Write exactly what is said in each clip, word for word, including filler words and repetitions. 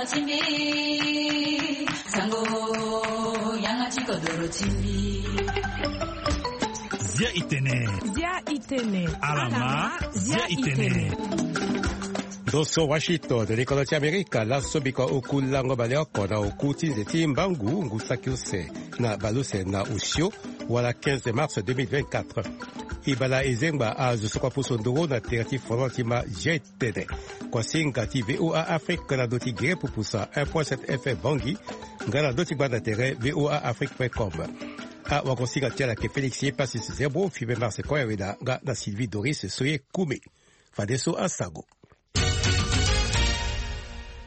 Timbi, sango, yanga ti kodoro timbi. Zia itene. Zia itene. Alama, zia itene. Ndo so Washington, likolo ti Amerika, laso biko oku lango baleoko na oku ti nze ti mbangu, ngu saki use na baluse na osio, wala quinze mars deux mille vingt-quatre. Ibala ezengba azo so kua pusu nduru na tere ti fondement ti ma jet tene. Kuasinga ti V O A Afrique na ndo ti gere pupusa un point sept F M Bangui, nga na ndo ti gbanda tere V O A Afrique point com. Awagosinga ti ala ayeke Félix Epasis Zerbo, Fibe Mars Koyaweda, nga na Sylvie Doris Soye Kume. Fadeso asango.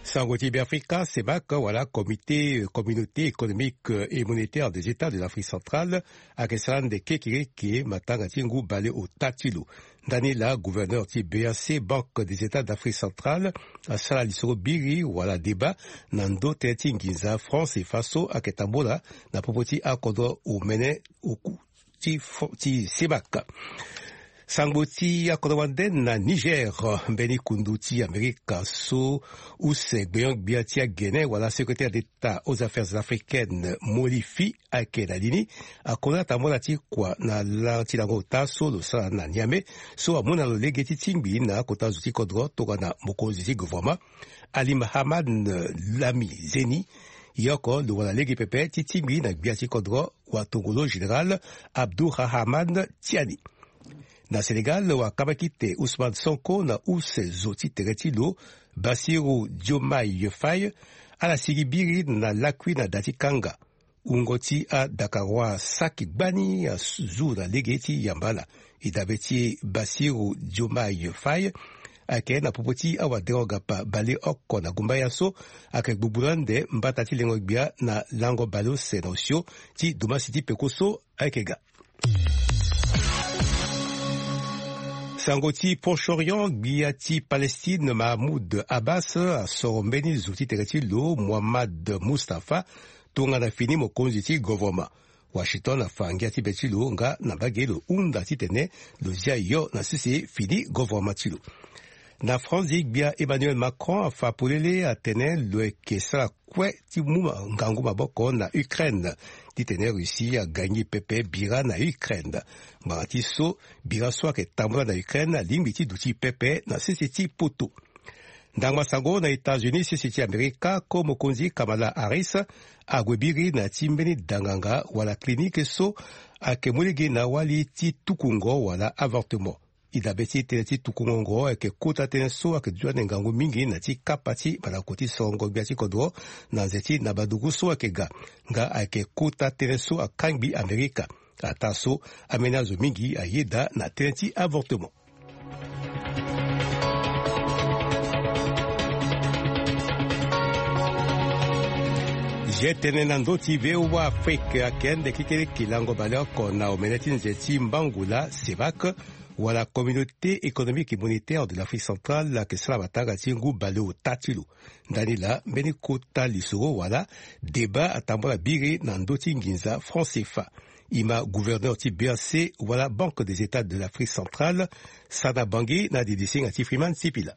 Sango ti Beafrika, CEMAC, wala Comité, euh, Communauté économique, euh, et monétaire des États de l'Afrique centrale, ayeke sara ande kekereke matanga ti ngu baleota ti lo. Ndani laa gouverneur ti B A C, Banque des États d'Afrique centrale, asara lisoro biri wala débat na ndo tënë ti nginza franc CFA so ayeke tambula na popo ti akodro omene oku ti fo-, ti CEMAC. Sango ti akodro wande na Niger, mbeni kundu ti Amerika so use gbenyo-gbia ti agene wala secrétaire d'État aux affaires africaines, Molifi, ayeke na li ni, akota tambula ti kua na la ti lango ota so lo sara na Niamey, so amu na lo lege ti tingbi na akota zo ti kodro tongana mokonzi ti gouvernement, Ali Mahaman Lami Zeni. Ye oko lo wara lege pepe ti tingbi na gbia ti kodro watongolo général Abdourahamane Tiani. Na Sénégal, wakambaki te Ousmane Sonko na use zo ti tere ti lo, Bassirou Diomaye Faye, ala sigi biri na lakui na da ti kanga. Wungo ti adakarois saki gbani azu na lege ti yamba ala. E dabe ti Bassirou Diomaye Faye ayeke na popo ti awaderogapa baleoko na gumbaya so ayeke gbugbu na ande mbata ti lengo gbia na lango baleuse na osio ti domasi ti peko so ayeke ga. Sango ti Proche-Orient, gbia ti Palestine Mahmoud Abbas asoro mbeni zo ti tere ti lo Mohammad Mustafa tongana fini mokonzi ti govoroma. Washington afa ngia ti be ti lo nga na mbage lo hunda titene lo zia yo na sese fini govoroma ti lo. Na France, gbia Emmanuel Macron afa polele atene lo yeke sara kue ti mu ma-, ngangu maboko na Ukraine titene Russie agagni pepe bira na Ukraine. Ngbanga ti so bira so ayeke tambula na Ukraine alingbi ti duti pepe na sese ti poto. Ndangba sango na États-Unis, sese ti Amerika, ko mokonzi Kamala Harris ague biri na ya ti mbeni danganga wala clinique so ayeke mu lege na wali ti tukungo wala avortement. E dabe ti tënë ti tukungo ngo ayeke kota tënë so ayeke duti ande ngangu mingi na ya ti kapa ti mandako ti sorongo gbia ti kodro na nze ti nabadugu so ayeke ga. Nga ayeke kota tënë so akangbi Amerika. Ataa so, ambeni azo mingi ayeda na tënë ti avortement. Zia tënë na ndö ti V O A Afrique, ayeke ande kekereke lango baleoko na omene ti nze ti mbangu laa CEMAC, wala Communauté économique et monétaire de l'Afrique centrale, ayeke sara matanga ti ngu baleota ti lo. Ndani laa mbeni kota lisoro wala débat atambula biri na ndö ti nginza franc CFA. E ma gouverneur ti B A C wala Banque des États de l'Afrique centrale, Sana Bangui, na didisinga ti Freeman Sipila.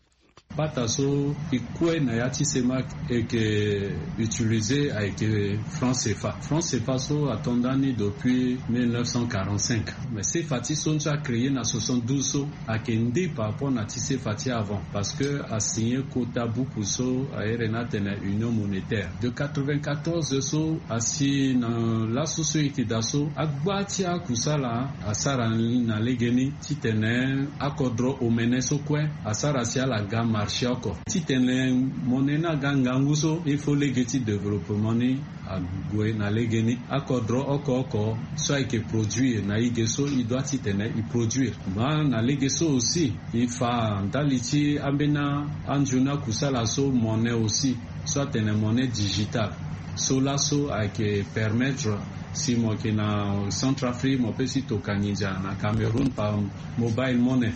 Bata so e kue na ya ti CEMAC e yeke utiliser ayeke franc CFA. Franc CFA so ato nda ni depuis mille neuf cent quarante-cinq. Mais CFA ti so ni so acréer na soixante-douze so ayeke nde par rapport na ti CFA ti avant, parce que asigner kota buku so a iri ni atene union monétaire. De quatre-vingt-quatorze so asi na laso so e yeke daa so, agba ti akusala asara na legeni titene akodro omene so kue asara si ala ga marché oko. Titene monnaie ni aga ngangu so, il faut lege ti développement ni ague na legeni. Akodro oko oko so ayeke produire na e ge so, e doit titene e produire. Ma na lege so aussi, e fa ndali ti ambeni anzoni akusala so, monnaie aussi, so atene monnaie digitale. So laso ayeke permettre si mo yeke na Centrafrique, mo peut si toka nginza na Cameroun par mobile monnaie.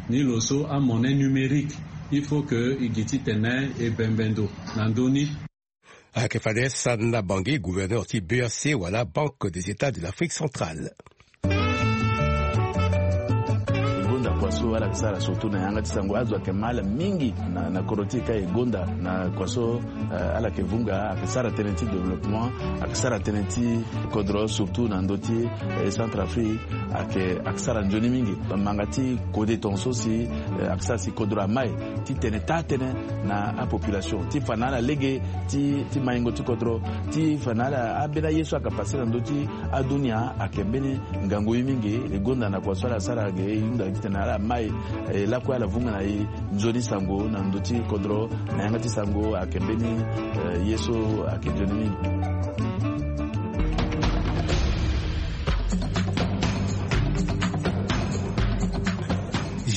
Ni lo so amonnaie numérique, il faut que e gi titene e bembe ndo na ndö ni. Ayeke fade Sana Bangui, gouverneur ti B A C wala Banque des États de l'Afrique centrale. So ala yeke sara surtout na yanga ti sango azo ayeke ma ala mingi na, na kodro ti e ka e gonda na kua so, eh, ala yeke vunga ayeke sara tënë ti développement, ayeke sara tënë ti kodro surtout na ndö ti, eh, Centrafrique ayeke, ayeke sara nzoni mingi. Manga ti kode tongaso si, eh, ayeke sara si kodro amai ti tene taa tënë na apopulation ti fa na ala lege ti, ti maingo ti kodro ti fa na ala ambeni aye so ayeke pase na ndö ti adunia ayeke mbeni ngangu ye mingi. E gonda na kua so ala sara ge e hunda titene ala mai, eh, lakue ala vunga na e nzoni sango na ndö ti kodro na yanga ti sango ayeke mbeni, eh, ye so ayeke nzoni mingi.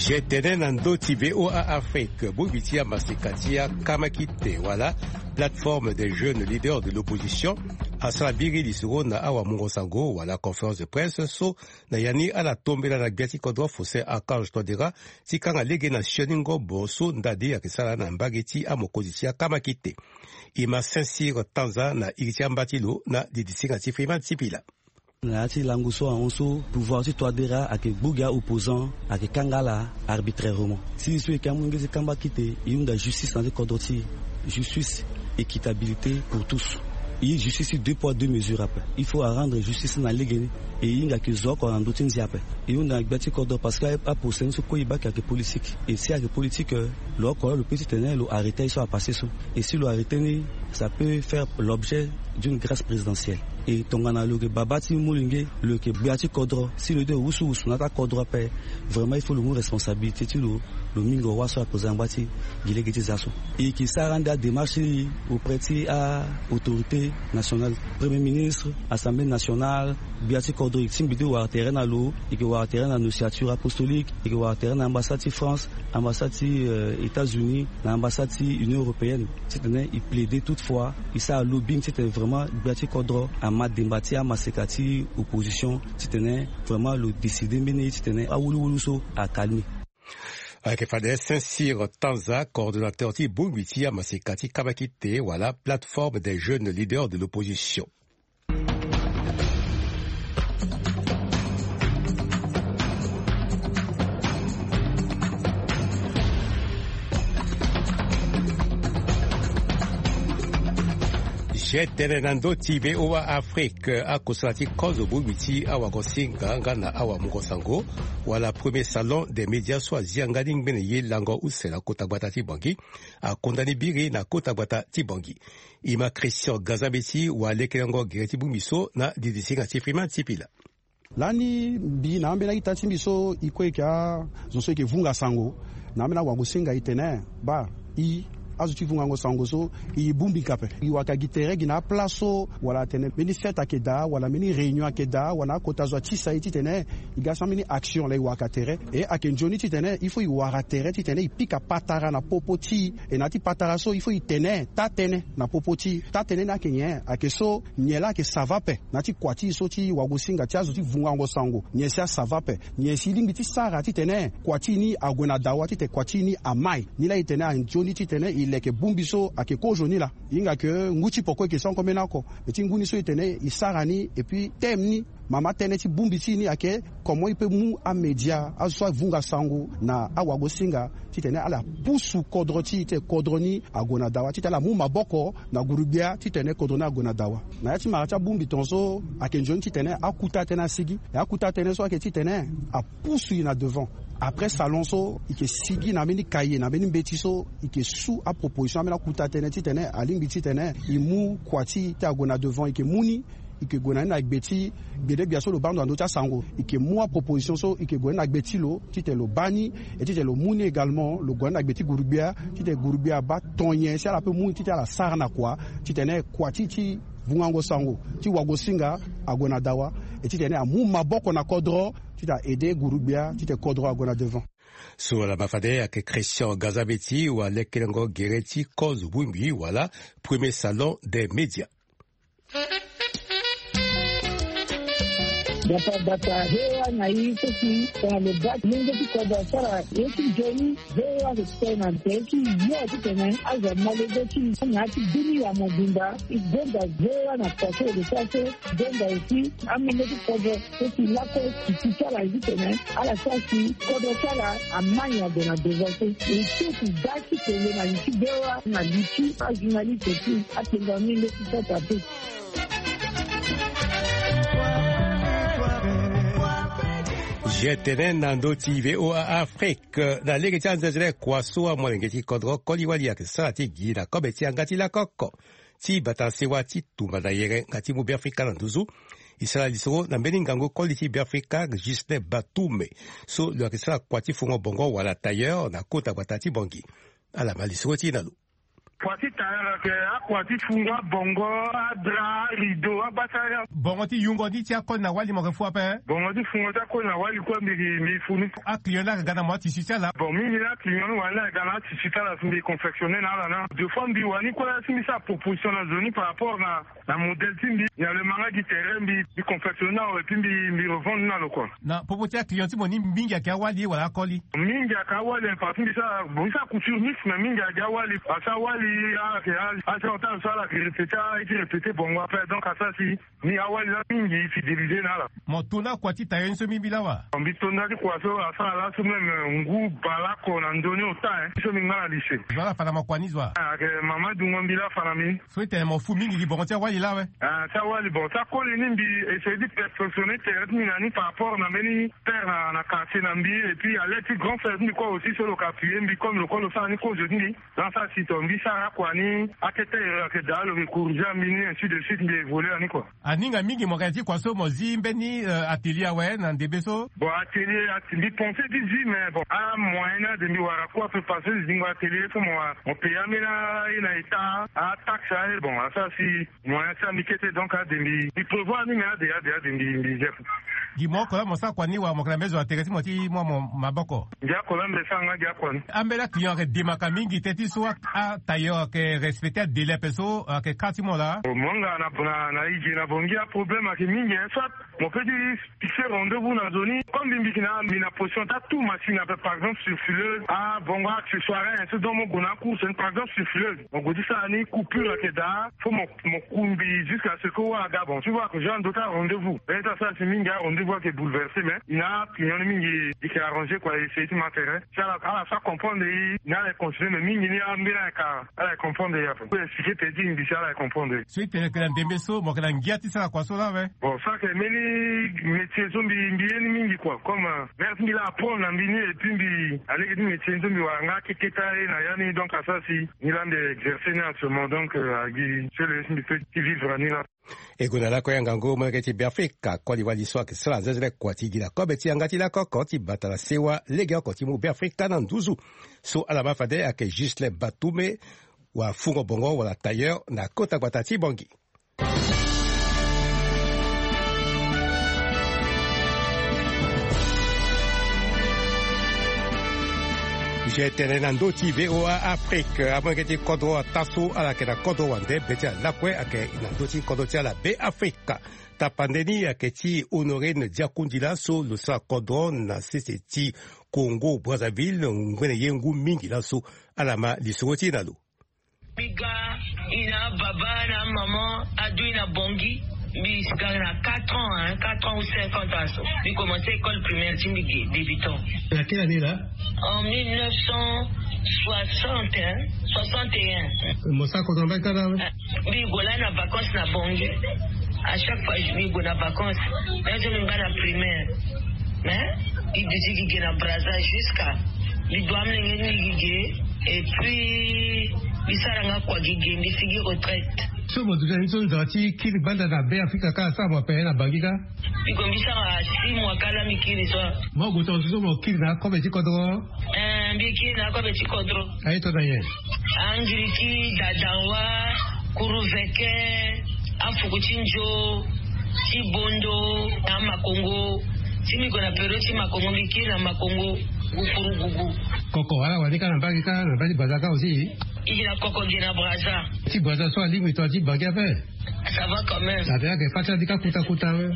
Ge tene na ndö ti VOA Afrique, bongbi ti amaseka ti akamakite wala plateforme des jeunes leaders de l'opposition asara biri lisoro na awamungo sango wala conférence de presse so na ya ni ala tombela na gbia ti kodro Faustin Archange Touadéra ti kanga lege na sioni ngobo so ndali ayeke sara na mbage ti amokonzi ti akamakite. E ma Saint-Cyr Tanza na iri ti amba ti lo na didisinga ti Freeman Sipila. Na ya ti lango so ahon so pouvoir ti Touadéra ayeke gbu gi a-opposant, ayeke kanga ala arbitrairement. Si e so e yeke amolenge ti kamba kite, e hunda justice na ya ti kodro ti e. Justice, équitabilité pour tous. E justice ti deux poids deux mesures ape. Il faut arendre justice na lege ni. E hinga ayeke zo oko na ndö ti ndia ape. E hunda na gbia ti kodro parce que aprocès ni so kue e baa ayeke politique. E si ayeke politique, lo oko lo peut titene lo arrêter aye so apassé so. Et si lo arrêter ni, ça peut faire l'objet d'une grâce présidentielle. E tongana lo yeke babâ ti molenge, lo yeke gbia ti kodro, si lo de wusuwusu na ya ti akodro ape, vraiment il faut lo mu responsabilité ti lo, lo mingo wâ so akozanga ngba ti gi lege ti za so. E yeke sara ande adémarche ni auprès ti a-autorité nationale, premier ministre, assemblée nationale, gbia ti kodro e tingbi ti wara tere na lo. E yeke wara tere na nociature apostolique, e yeke wara tere na ambassade ti France, ambassade ti, euh, États-Unis, na ambassade ti Union européenne, titene e plaider toutefois, e sara lobbying titene vraiment gbia ti kodro ama demba ti amaseka ti opposition, titene vraiment lo décider mbeni ye titene awuluwulu so acalmer. Ayeke fade Saint-Cyr Tanza, coordonnateur ti bongbi ti amaseka ti kamba kite wala plateforme des jeunes leaders de l'opposition. Ge tene na ndö ti VOA Afrique, akosala ti kozo bongbi ti awagosinga nga na awamungo sango wala premier salon des médias so azi yanga ni ngbene ye lango use na kota gbata ti Bangui, akonda ni biri na kota gbata ti Bangui. E ma Christian Gazabeti wa lekelengo gere ti bongbi so na didisinga ti Freeman Sipila. Lani mbi na ambeni akita ti mbi so e kue e yeke azo so e yeke vunga sango na ambeni awagosinga e tene baa, e azo ti vungango sango so e bongbi ka ape. E wara ka gi tere gi na apla so wala atene mbeni fête ayeke daa wala mbeni réunion ayeke daa wala akota zo atisa e titene e ga sara mbeni action laa e wara ka tere. E ayeke nzoni titene il faut e wara tere titene e pika patara na popo ti e. E na ya ti patara so il faut e tene taa tënë na popo ti e. Taa tënë ni ayeke nyen? Ayeke so nyen laa ayeke sava ape na ya ti kua ti e so ti wagosinga ti azo ti vungango sango. Nyen si asava ape? Nyen si e lingbi ti sara titene kua ti e ni ague na dawa, titene kua ti e ni amai? Ni laa e tene anzoni titene e leke bongbi so ayeke kozo ni laa. E hinga ke ngu ti poko e yeke sara oko mbeni oko. Me ti ngu ni so e tene e sara ni et puis thème ni, mama tënë ti bongbi ti e ni ayeke comment e peut mu amédia, azo so avunga sango na awagosinga, titene ala pusu kodro ti e, titene kodro ni ague na dawa, titene ala mu maboko na gurugbia titene kodro ni ague na dawa. Na ya ti mara ti abongbi tongaso ayeke nzoni titene akuta tënë asigi. E akuta tënë so ayeke titene apusu e na devant. Après salon so e yeke sigi na mbeni kaye na mbeni mbeti so e yeke su aproposition ambeni akuta tënë titene alingbi titene e mu kua ti e ti ague na devant, e yeke mu ni. E yeke gue na ni na gbe ti gbedegbia so lo baa ndo na ndö ti asango. E yeke mu aproposition so e yeke gue na ni na gbe ti lo titene lo baa ni. E titene lo mu ni également lo gue na ni na gbe ti gurugbia titene gurugbia abaa ton nyen si ala peut mu ni titene ala sara na kua titene kua ti e ti vungango sango ti wagosinga ague na dawa. E titene amu maboko na kodro titene a aider gurugbia titene kodro ague na devant. So ala ma fade ayeke Christian Gazabeti wa lekelengo gere ti kozo bongbi wala premier salon des médias. Bata bata, ve wa na i so si tongana lo baa ti lenge ti kodro asara ye ti nzoni. Ve wa so si tongana tene ti yo titene azo amolenge ti na ya ti bini ya mobimba. I gonda ve wa na kua so lo sara so. I gonda aussi amolenge ti kodro so si lakue si ti ti ala titene ala sara si kodro ti ala amani ague na devant so. E ti si ga ti tene na li ti ve wa na li ti ajournaliste ti atenda ni nde ti sota pe. Je tene na ndö ti V O A Afrique na lege ti anzenzele kua so amolenge ti kodro koli wali ayeke sara ti gi na kobe ti yanga ti lakoko ti bata sewa ti tumba na yere nga ti mu Beafrika na nduzu. E sara lisoro na mbeni ngangu koli ti Beafrika Ghislain Batume so lo yeke sara kua ti fungo bongo wala tailleur na kota gbata ti Bangui. Ala ma lisoro ti e na lo. Kua ti tailleur ayeke akua ti fungo abongo, adra, arideau, abasara. Bongo ti yungo ni ti akoli na wali mo yeke fu ape? Bongo ti fungo ti akoli na wali kue mbi mbi fu ni. Aclient ni ayeke ga na mo atisi ti ala? Bon, mingi ni aclient ni wani ni ayeke ga na atisi ti ala si mbi confectionner na ala na deux fois mbi wani kue si mbi sara proposition na zo ni par rapport na na modèle ti mbi, na lo ma nga gi terrain mbi mbi confectionner na lo et puis mbi mbi revendre ni na lo kua. Na popo ti aclient ti mo ni mingi ayeke awali wala akoli? Mingi ayeke awali, parti mbi sara bon mbi sara couture mix mais mingi ayeke awali parce que awali ayeke a- a- so ala yeke répéter, a ye ti répéter bongo ape, donc asara si ni awali la mingi fidéliser na ala. Mo to na kua ti tailleur ni so mbi mbi lawa? Mbi to na ti kua so asara laso même ngu baleoko na ndö ni ota, hein, so mbi nga na lycée. Zo ala fa na mo kua ni zo wa? Ayeke mama dungo mbi la fa na mbi. So e tene mo fu mingi gi bongo ti awali la awe? Ah, ti awali bon ti akoli ni mbi essayer ti perfectionner tere ti mbi na ni par rapport na mbeni père na na quartier na mbi et puis à l'aide ti grand frère ti mbi kue aussi so lo ka appuyer mbi comme lo kue lo sara ni kozo ti mbi. Donc asara si tongana mbi sara akua ni akete ere ayeke daa lo yeke corriger mbi ni ainsi de suite mbi évoluer na ni kua. Aninga mingi mo yeke na ya ti kua so mo zi mbeni atelier awe na ndembe so? Bon atelier mbi pense ti zi mais bon amoyen ni ade mbi wara kue ape parce que zingo atelier so mo wara mo payer ambeni aye na état ataxe aye bon asara si moyen ti ambi kete donc ade mbi mbi prévoir ni mais ade ade ade mbi mbi zi ape. Gi mo oko la mo sara kua ni wala mo yeke na mbeni zo na tere ti mo ti mu amo maboko? Gi oko la mbi sara nga gi akua ni. Ambeni aclient ayeke demaka mingi teti so atailleur ayeke respecter adélai ape so ayeke ka ti mo laa? Mo nga na na na e gi na bongi aproblème ayeke mingi hein soit mo pe ti fixer rendez-vous na zo ni comme mbi mbi yeke na mbi na position ti atu machine ape par exemple sur fileuse abongo accessoire hein so donc mo gue na acourse ni par exemple sur fileuse mo gue ti sara ni coupure ayeke daa fo mo mo ku mbi jusqu'à ce que wara aga bon tu vois que genre ndö ti arendez-vous e ti asara si mingi arendez-vous ayeke bouleverser mais i na apinion ni mingi i yeke arranger kua essayer ti ma tere si ala ala sa comprendre i na ala e continuer mais mingi ni ambeni ayeke ala e comprendre i ape. Expliquer teti mbi si ala e comprendre i. So i tene yeke na ndembe so mo yeke na ngia ti sara kua so laa awe? Bon so ayeke mbeni métier so mbi mbi ye ni mingi kua comme mère ti mbi laa apprendre na mbi ni et puis mbi alege ti métier ni so mbi wara nga akeketa ye na ya ni donc asara si ni laa mbi exercer ni actuellement donc agi so le ye ti mbi pe ti vivre na ni laa. E gue na lakue ya ngangu molenge ti Beafrika koli wali so ayeke sara nzenzele kua ti gi na kobe ti yanga ti lakoko ti bata na sewa legeoko ti mu Beafrika na nduzu. So ala ma fade ayeke Ghislain Batume wafungo bongo wala tailleur na kota gbata ti Bangui. Je tene na ndö ti VOA Afrique amolenge ti kodro ataa so ala yeke na kodro wande be ti ala lakue ayeke na ndö ti kodro ti ala Beafrika. Tapande ni ayeke ti Honorine Diakundila so lo sara kodro na sese ti Congo Brazzaville ngbene ye ngu mingi laso. Ala ma lisoro ti e na lo. Mbi ga i na ababa na amama adu i na Bangui. Mbi si ga na quatre ans hein quatre ans ou cinquante ans so mbi commence école primaire ti mbi ge débutant. Na quelle année là? En mille neuf cent soixante hein soixante et un. Mo sara kodro na mbage kâ la awe? Mbi gue la na vacances na Bangui. À chaque fois mbi gue na vacances. Même so mbi nga na primaire mais mbi duti gi ge na Brazza jusqu'à mbi du amolenge ni gi ge. Et puis mbi sara nga kua gi ge mbi sigi retraite. So mo duti na ni so nzara ti kiri gbanda na Beafrika kâ asara mo ape na Bangui kâ? Mbi gue mbi sara six mois kâ la mbi kiri so. Mo gue tongaso so mo kiri na akobe ti kodro? Eh mbi kiri na akobe ti kodro. Aye to na nyen? Angiri ti dadanwa, kuruveke, afuku ti nzo, ti bondo na amakongo. Si mbi gue na période ti makongo mbi kiri na makongo. Gukuru gugu. Koko ala wani kâ na mbage kâ na mbage ti Brazza kâ aussi? I gi na koko gi na Brazza. Ti Brazza so alingbi tongana ti Bangui ape? Ça va quand même. Ape ayeke fâ ti ala ti kâ kuta kuta awe.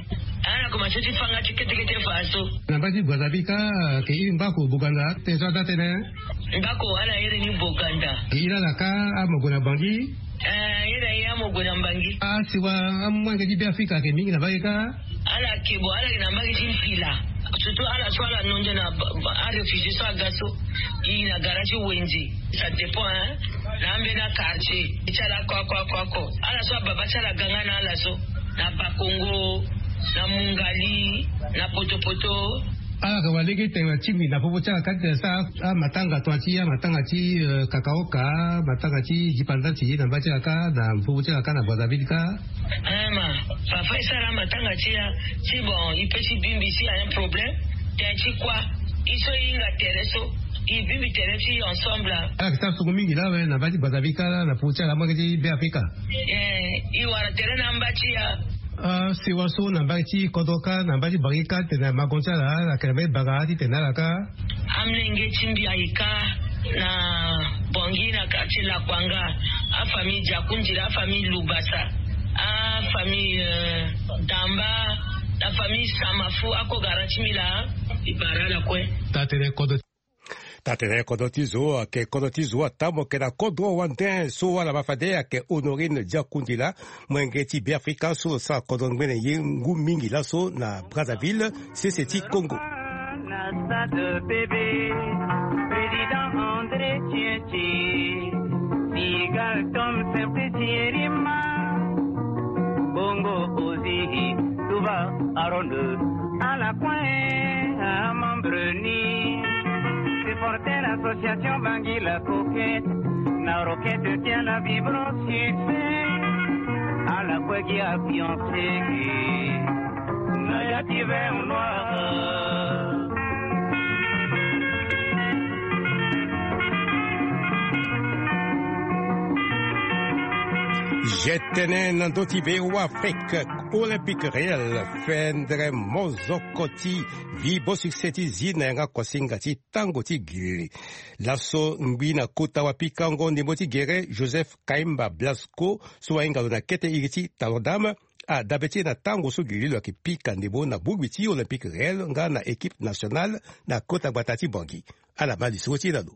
Ah. Ako ma so ti fanga ti ketekete fa so. Na mba ti Brazzaville ka, ke iri mba ko Boganda te so ada tene. Mba ko ala iri ni Boganda. Ke iri ala ka, amo gue na Bangui. Eh, iri aye amo gue na Bangui. Asiwa amolenge ti Beafrika ke mingi na mba ge ka. Ala ke bo, ala ke na mba ge ti mpila. Surtout ala so ala nondo na ba- ba- aréfugié so aga so. I na gara ti wenze. Ça dépend, hein. Na ambeni quartier ti ala ko ako ako ako. Ala so ababa ti ala ganga na ala so. Na Bakongo, na Mungali, na Potopoto. Ala ka wa lege tene na tingbi na popo ti ala ka tene sa amatanga tonga ti amatanga ti, eh, kakaoka, amatanga ti dipanda ti ye na mba ti ala ka na popo ti ala ka na Brazzaville ka. Eh, ma, parfois e sara amatanga ti ya, ti bon, e peut ti bimbi si a un problème. Tene ti kua, e so e hinga tere so, e bimbi tere ti ensemble. Ala ke sara songo mingi lawe na mba ti Brazzaville ka la na popo ti ala amolenge ti Beafrika. Eh, e wara tere na mba ti ya. Ah, sewa so na mba ti kodro ka na mba ti Bangui ka tene na mago ti ala, ala ke na mba ti banga titene ala ka. Amolenge ti mbi aye ka na Bangui na quartier Lakwanga. Afamille Diakundila, afamille Lubasa, afamille, euh, Damba, la famille Samafu, ako gara ti mbi la. E bara ala kue. Taa tene kodro. Taa tene kodro ti zo, ayeke kodro ti zo atambo ayeke na kodro wande so wala ma fade ayeke Honorine Diakundila, molenge ti Beafrika so lo sara kodro ngbene ye ngu mingi laso na Brazzaville, sese ti Congo. Na stade bébé, président André Tietie, Sigal Tom Simplici Rima, Bongo Ozi, Touba Aaron, ala kue amembre ni, supporter l'association Bangui la Coquette, na roquette ti ala vibro succès, ala kue gi ambiance na ya ti vert noir. Je tene na ndö ti V O A Afrique, Olympique Réel fendre mozoko ti Vibo Succès ti zi na yanga kosinga ti tango ti gilili. Laso ngbi na kota wapikango ndembo ti gere Joseph Kaimba Blasco so ahinga lo na kete iri ti Talon Dame, adabe ti e na tango so gilili lo ayeke pika ndembo na bongbi ti Olympique Réel nga na équipe nationale na kota gbata ti Bangui. Ala ma lisoro ti e na lo.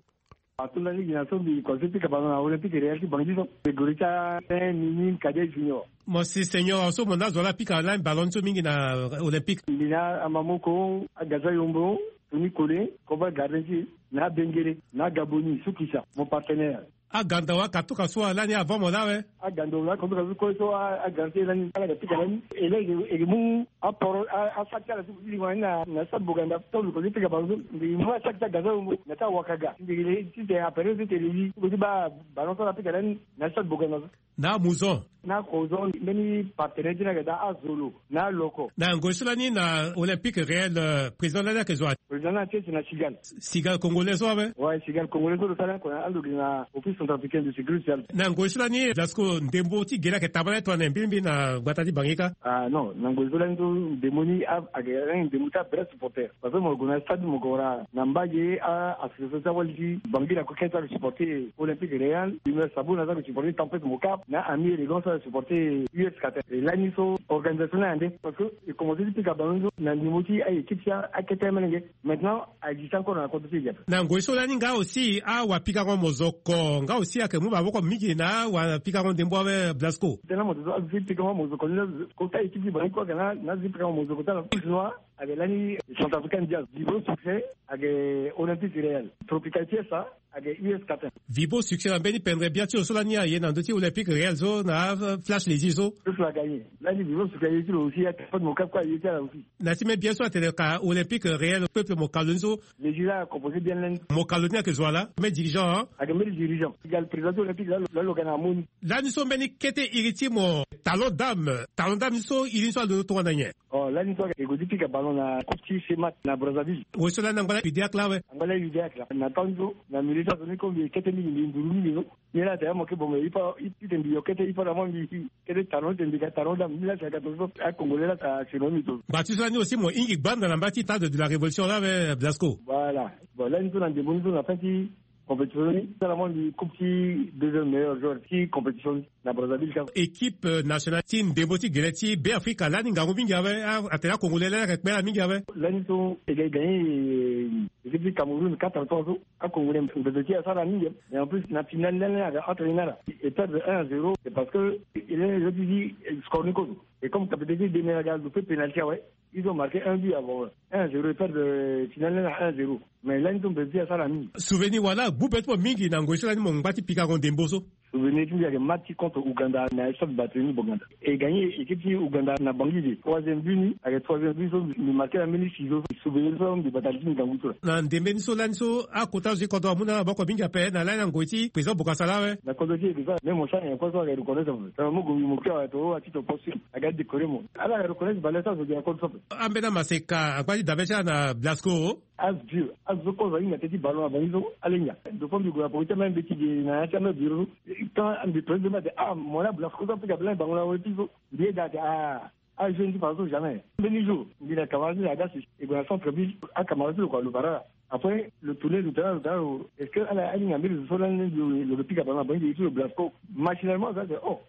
Atonda ni gi na so mbi koze pika ballon na Olympique Réel ti Bangui so. Mbi guru ti a Saint Nini Cadet Junior. Mo si senior so mo na zo ala pika lani ballon ni so mingi na Olympique. Mbi na Amamoko, Agaza Yombo, Tony Kole, Koba Gardien ti e, na Bengele, na Gaboni, Sukisa, mon partenaire. Aganda wa katuka so alani avant mo la awe. Aganda wa katuka so kue so a, aganda ti e lani, ala ga pika lani. E laa e ke, e ke mu aporo, a, asac ti ala so ti lingua ni na, na stade Boganda. Tongana lo kozo ti pika ballon so, mbi mu asac ti Agaza Yombo na ti awakaga. Mbi ke le ti tene apere so ti tene li, so ti baa ballon so ala pika lani na stade Boganda so. Na amuzon. Na kozon, mbeni partenaire ti ni ayeke daa azolo na aloko. Na ngoi so lani na Olympique Réel, euh, président lani ayeke zo wa? Président lani ayeke na Cigale. Cigale congolais so awe? Ouais, Cigale congolais so lo sara ni oko na alo gi na Office centrafricain de sécurité sociale. Na ngoi so lani Blasco, ndembo ti gere ayeke tabâ na ye tongana mbilimbili na gbata ti Bangui ka? Ah non, na ngoi so lani so ndembo ni a, ayeke lani ndembo ti avrai supporter. Parce que mo gue na stade mo gue wara na mbage a association ti awali ti Bangui la Coquette so ayeke supporter Olympique Réel, Humeur Sabona so ayeke supporter Tempête Mocap, na Ami Élégant so ayeke supporter U S Qatar. E lani so organisation ni ayeke ande, parce que e commencer ti pika ballon so na ndembo ti a équipe ti akete molenge. Maintenant a existe encore na kodro ti e. Na ngoi so lani nga aussi awapikango mozoko nga aussi ayeke mu maboko mingi na awapikango ndembo awe Blasco. Tena mo zo azo ti pikango mozoko ni, kota équipe ti Bangui kue ayeke na azo ti pikango mozoko ti ala. Ayeke lani Centrafricain Jazz, Vibo Succès, ayeke Olympique Réel, Tropical Fiesta, ayeke U S Qatar. Vibo Succès na mbeni pendre bia ti lo so lani aye na ndö ti Olympique Réel so na Flash Léger so. So so agagné. Lani Vibo Succès aye ti lo aussi, ayeke Peuple Mocap kue aye ti ala aussi. Na ti même bien so atene ka Olympique Réel Peuple Mocap lo ni so. Léger la composé bien lani. Mocap lo ni ayeke zo wa laa, même dirigeant, hein? Ayeke même dirigeant. Égal président ti Olympique la lo, la lo ga na amoni. Lani so mbeni kete iri ti mo Talon Dame. Talon Dame ni so iri ni so alondo tongana nyen? Oh, lani so e gue ti pika ballon na coupe ti Semat na Brazzaville. Wo so lani angba la Udéac la awe. Angba la Udéac la. Na temps so na milieu ti azo ni comme mbi kete mingi, mbi nduru mingi so. Ni la atene mo ke bon, mais il faut, il, il, mbi yo kete, il faut vraiment mbi kete Talon, mbi ga Talon Dame. Ni la atene ga to so a Congolais la ata seno mbi to. Ngba ti so lani aussi mo hingi gbanda na mba ti Stade de la Révolution la awe Blasco. Voilà. Bon, lani so na ndembo ni so na fin ti Compétition ni sara mo mbi coupe ti deuxième meilleur joueur ti compétition ni na Brazzaville ka. Équipe nationale ti ndembo ti gele ti Beafrika lani ngangu mingi awe. Atene akongole lani ayeke kpela mingi awe. Lani so e ga e gagné équipe ti Cameroun quatre à trois so. Akongole ndembo ti asara mingi. Mais en plus na finale lani aga entraîner ala e perdre un à zéro. C'est parce que il est jeu ti score ni kozo. Et comme capitaine ti demi aga lupe penalty awe. Ils ont marqué un but avant un à zéro, et perdre finale na un à zéro. Mais là ils ont perdu à Salami. Souvenir wala gbu be ti mo mingi na ngoi so lani mo ngba ti pika ngo ndembo so. Souvenir ti mbi ayeke match ti contre Ouganda na stade Bateni Boganda. E gagné équipe ti Ouganda na Bangui de. Troisième but ni ayeke troisième but so mbi marqué na mbeni sizo. Souvenir so mbi bata li ti mbi ngangu so. Na ndembe ni so lani so akota zo ti kodro amu na maboko mingi ape na lani na ngoi ti président Bokasala awe. Na kodro ti e ke so même mo sara nyen kue so ayeke reconnaître ape. Mo gue mo kiri awe to ati to poste. Aga décorer mo. Ala reconnaître valeur ti azo gi na kodro so ape. Ambeni amaseka angba ti dabe ti ala na Blasco. Azo azo kozo ahinga teti ballon na bangi so ala hinga. Dauphin mbi gue na poko ti amai mbi ti ge na ya ti amai bureau so. Quand mbi présente mbi ate ah mo na Blasco so apika blanc bango na weti so. Mbi yeda ate ah. Ajeune ti fadeso jamais. Mbeni jour mbi na camarade ti na aga si e gue na centre ville. Acamarade ti lo kua lo bara ala. Après lo tourner lo tala lo tala lo est-ce que ala ahinga mbeni zo so lani lo lo pika ballon na bangi ti lo Blasco. Machinalement aza ate oh.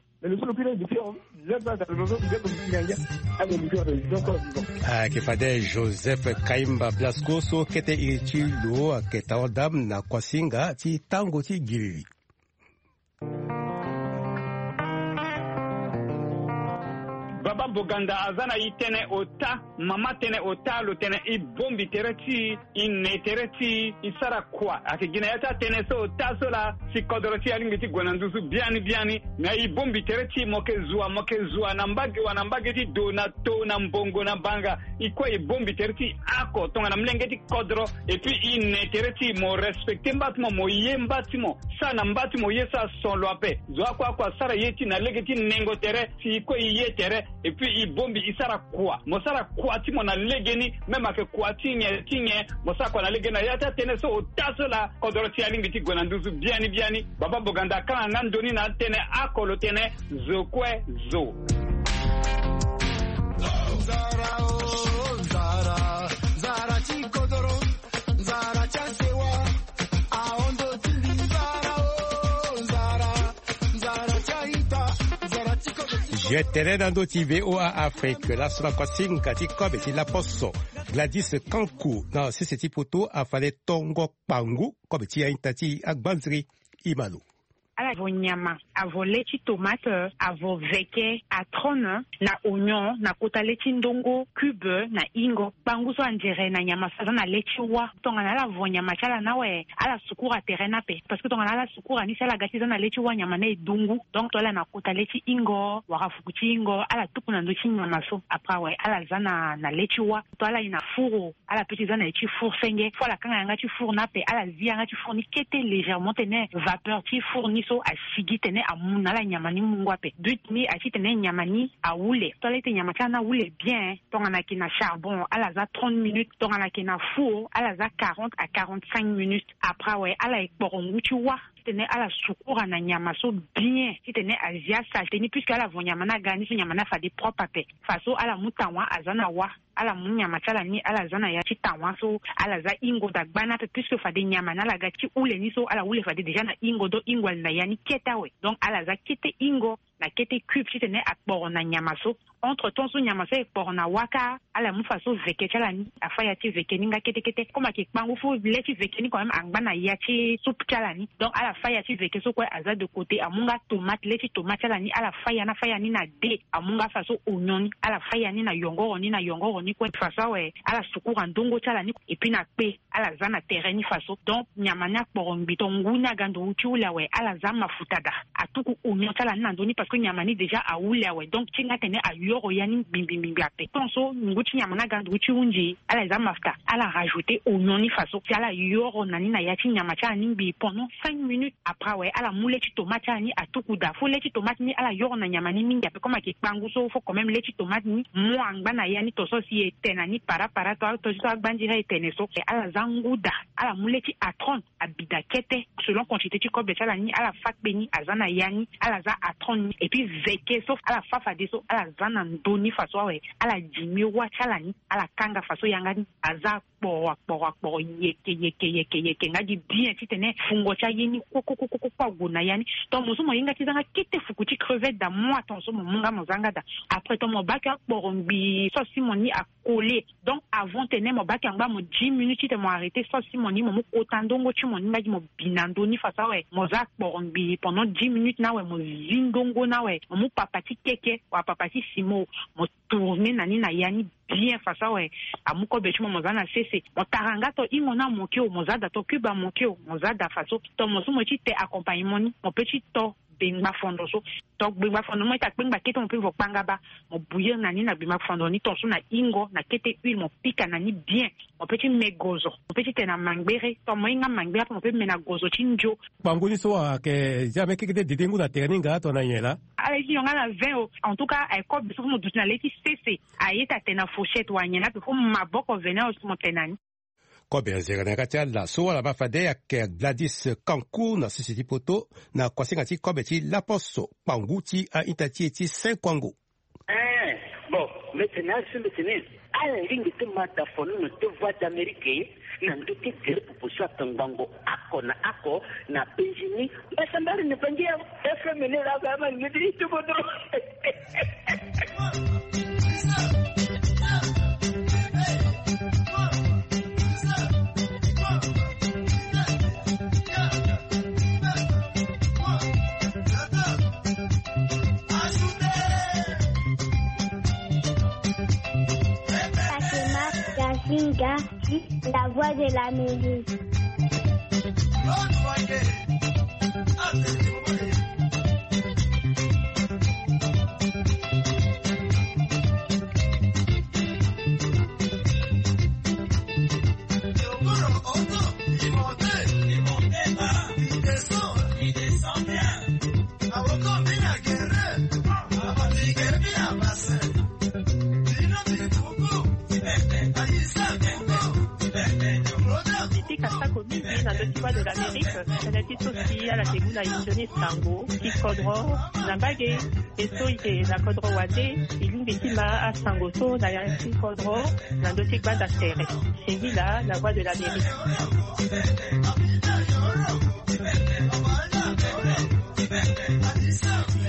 Ayeke fade Joseph Kaimba Blasco so kete iri ti lo ayeke tara dame na kuasinga ti tango ti giriri. Baba Boganda aza na e tënë ota. Mama tënë ota lo tene e bongbi tere ti e. E ne tere ti e sara kua ayeke gi na ya ti atënë so ota so laa si kodoro ti e alingbi ti gue na nduzu biani biani. Me e bongbi tere ti e mo yeke zua mo yeke zua na mbage wa na mbage ti do na to na mbongo na banga. E kue e bongbi tere ti e oko tongana molenge ti kodoro. Et puis e ne tere ti e mo respecter mba ti mo mo ye mba ti mo. Sara na mba ti mo ye so ason lo ape. Zo akue akue asara ye ti e na lege ti nengo tere si e kue e ye tere. Et puis e bongbi e sara kua mo sara kua ti mo na legeni. Même ayeke kua ti nyen ti nyen mo sara kua na legeni na ya ti atënë so ota so laa kodoro ti e alingbi ti gue na nduzu biani biani. Baba Boganda akanga nga ndoni na atënë oko lo tene zo kue zo. Nzara o nzara, nzara ti kodoro, nzara ti asewa. Ahondo ti mbi nzara o nzara. Nzara ti aita, nzara ti kodoro. Je tere na ndö ti VOA Afrique laso na kuasinga ti kobe ti laposo. Gladys Kanku na sese ti poto afade tongo kpangu kobe ti aita ti agbanziri. Imalo. Ala vo nyama, avo le ti tomate, avo veke, atrone, na oignon na kota le ti ndongo, cube na ingo. Kpangu so anzere na nyama so aza na le ti wa. Tongana ala vo nyama ti ala ni awe, ala sukura tere ni ape. Parce que tongana ala sukura ni si ala ga ti za na le ti wa nyama ni e dungu. Donc to ala na kota le ti ingo wala fuku ti ingo ala tuku na ndö ti nyama so. Après awe ala za na na le ti wa to ala ye na four. Ala pe ti za na ye ti four senge fo ala kanga yanga ti four ni ape ala zi yanga ti four ni kete légèrement tene vapeur ti four ni so asigi tene amu na ala nyama ni mungo ape. But ni aye ti tene nyama ni awule. To ala ye ti tene nyama ti ala ni awule bien. Tongana ayeke na charbon ala za trente minutes. Tongana ayeke na four ala za quarante à quarante-cinq minutes. Après awe ala ye kporo ngu ti wa ti tene ala sukura na nyama so bien ti tene azi asalte ni puisque ala vo nyama ni aga ni so nyama ni afade propre ape. Faso ala mu tawa aza na wa. Ala mu nyama ti ala ni ala za na ya ti tawa so ala za ingo dagba ni ape puisque fade nyama ni ala ga ti hule ni so ala hule fade déjà na ingo donc ingo ali na ya ni kete awe. Donc ala za kete ingo na kete cube ti tene akporo na nyama so. Entre temps so nyama so ekporo na wa kâ ala mu faso veke ti ala ni afa ya ti veke ni nga kete kete comme ayeke kpangu fo le ti veke ni quand même angba na ya ti soupe ti ala ni. Donc ala fa ya ti veke so kue aza de côté amu nga tomate le ti tomate ti ala ni ala fa ya ni afa ya ni na de amu nga faso oignon ni ala fa ya ni na yongoro ni na yongoro ni kue faso awe ala sukura ndongo ti ala ni. Et puis na kpe ala za na tere ni faso donc nyama ni akporo ngbi to ngu ni aga nduru ti hule awe ala za mafuta daa. Atuku oignon ti ala ni na ndö ni parce que nyama ni déjà ahule awe donc ti nga tene ayoro ya ni ngbingbi ngbingbi ape. Tant so ngu ti nyama ni aga nduru ti hunzi ala za mafuta ala rajouter oignon ni faso si ala yoro na ni na ya ti nyama ti ala ni ngbii pendant cinq minutes. Après awe ala mu le ti tomate ti ala ni atuku daa fo le ti tomate ni ala yoro na nyama ni mingi ape comme ayeke kpangu so fo quand même le ti tomate ni mu angba na ya ni to so si e te na ni para para to so agbanziri e tene so ala za ngu daa. Ala mu le ti atrone abi daa kete so Selon quantité ti kobe ti ala ni, ala fa kpe ni aza na ya ni, ala za atron ni. Et puis veke so ala fa fadeso, ala za na ndö ni faso awe, ala dimi wâ ti ala ni, ala kanga faso yanga ni aza akporo akporo akporo, yeke yeke yeke yeke nga gi bien titene fungo ti aye ni koko koko koko ague na ya ni. Tonga mo so mo hinga ti za nga kete fuku ti crevette da moi, tonga so mo mu nga mo za nga da. Après tonga mo bake akporo ngbii so si mo ni akole. Donc avant tene mo bake angba mo dix minutes titene mo arrêter so si mo ni mo mu kota ndongo ti mo ni nga gi mo bi na ndö ni faso awe mo za akporo ngbii pendant dix minutes ni awe mo zi ndongo ni awe mo mu papa ti keke wala papa ti simo mo tourner na ni na ya ni bien faso awe. Amu kobe ti mo mo za na sese, mo tara nga to hingo ni amoke o, mo za da to cube amoke o, mo za da faso. To mo so mo ti te accompagnement ni, mo pe ti to bengba fondo so. To gbengba fondo ni mo ita kpengba kete mo pe vo kpanga baa. Mo bouillir na ni na gbengba fondo ni tonso na hingo na kete huile mo pika na ni bien. Mo pe ti me gozo, mo pe ti tene na mangbere. To mo hinga mangbere ape mo pe me na gozo ti ndio. Kpangu ni so ayeke zia me kekete dede ngu na tere ni nga to na nyen laa? Ala ye ti nyon nga na vin o. En tout cas aye kobe so fo mo duti na le ti sese. Aye ti atene na fourchette wala nyen laa pe fo maboko vene o si mo tene na ni. Kobe azere na yanga ti ala so ala baa fade ayeke Gladys Kanku na sese ti poto na kuasinga ti kobe ti laposo kpangu ti a-ita ti e ti Saint Kwango. Eh, bon, mete na asu mete ni. Ala lingi ti ma da fono na te Voix d'Amérique na ndö ti gere popo so atongbango ako na ako na penzi ni. Mbasambari ni bangi ya F M ni la ba ma ngidi ti bodo. Fatima Gazinga, la voix de l'Amérique. Ti pika sako mingi na ndö ti Voix de l'Amérique, tënë ti so si ala ke mu na e sioni sango ti kodro na mbage. E so e ke na kodro wande, e lingbi ti ma asango so na ya ti kodro na ndö ti gbanda tere. Singila, la voix de l'Amérique.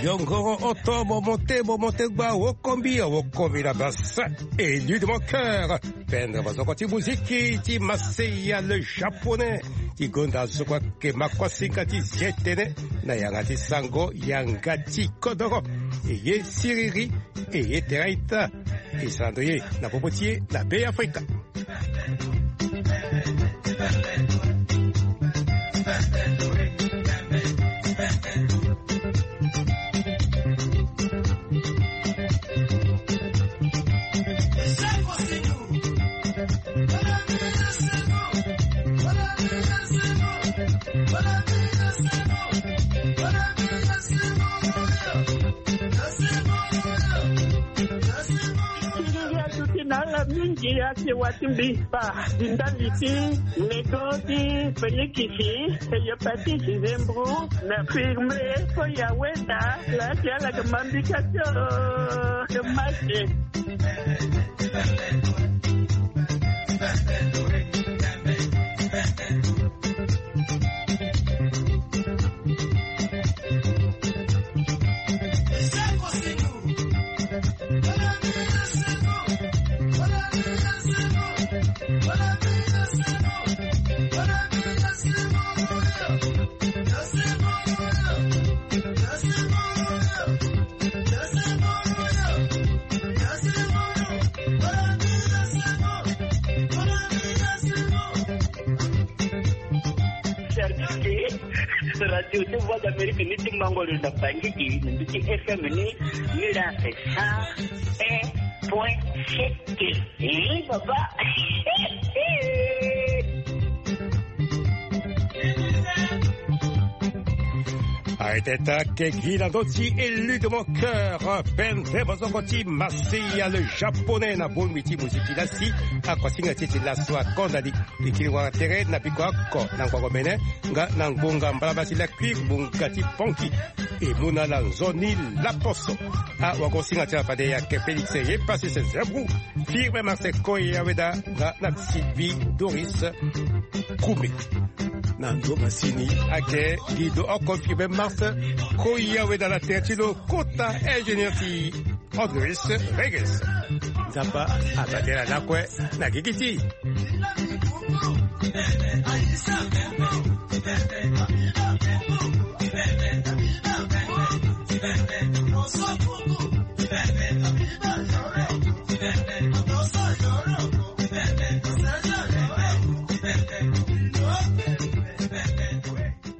Yongoro oto momonte momonte gba awokombi awokombi na basa. Élu de mon cœur. Pendre bazoko ti muziki ti Maseya le japonais ti gonda zo kua ke makosinga ti zi tënë na yanga ti sango yanga ti kodoro. E ye siriri, e ye tere ita. E sara ndo ye na popo ti e na Be Afrika. Ti ala mingi ake wa ti mbi ba di ndali ti nego ti Félix, Hépatite, Zembro na firme. Fo ya wenda la ti ala ke ma mbi ka ti o ke mate. Service ti Radio ti Voix d'Amérique ni ti mango lo na Bangui, na ndö ti F M ni, ni la c'est cent un point sept. Eh, papa. Arrêteta kegi na ndö ti élu de mon cœur. Pende bozongo ti Maseya le japonais na bongbi ti moziki lasi. Akuasinga ti e ti laso akonda ni. E kiri wara tere na biko oko na ngbongo mene nga na ngbonga mbalabala ti lakui ngbonga ti ponki. E mu na ala nzoni laposo. Awagosinga ti ala fade ayeke Félix ye pasi se zebru. Firme Marseille Koya Weda nga na Sylvie Doris Koumé. Na ndo masini ake Guido oko Firme Marseille Koya Weda na tere ti lo kota ingénieur ti Andris Regis. Nzapa abatela lakue na gigi ti.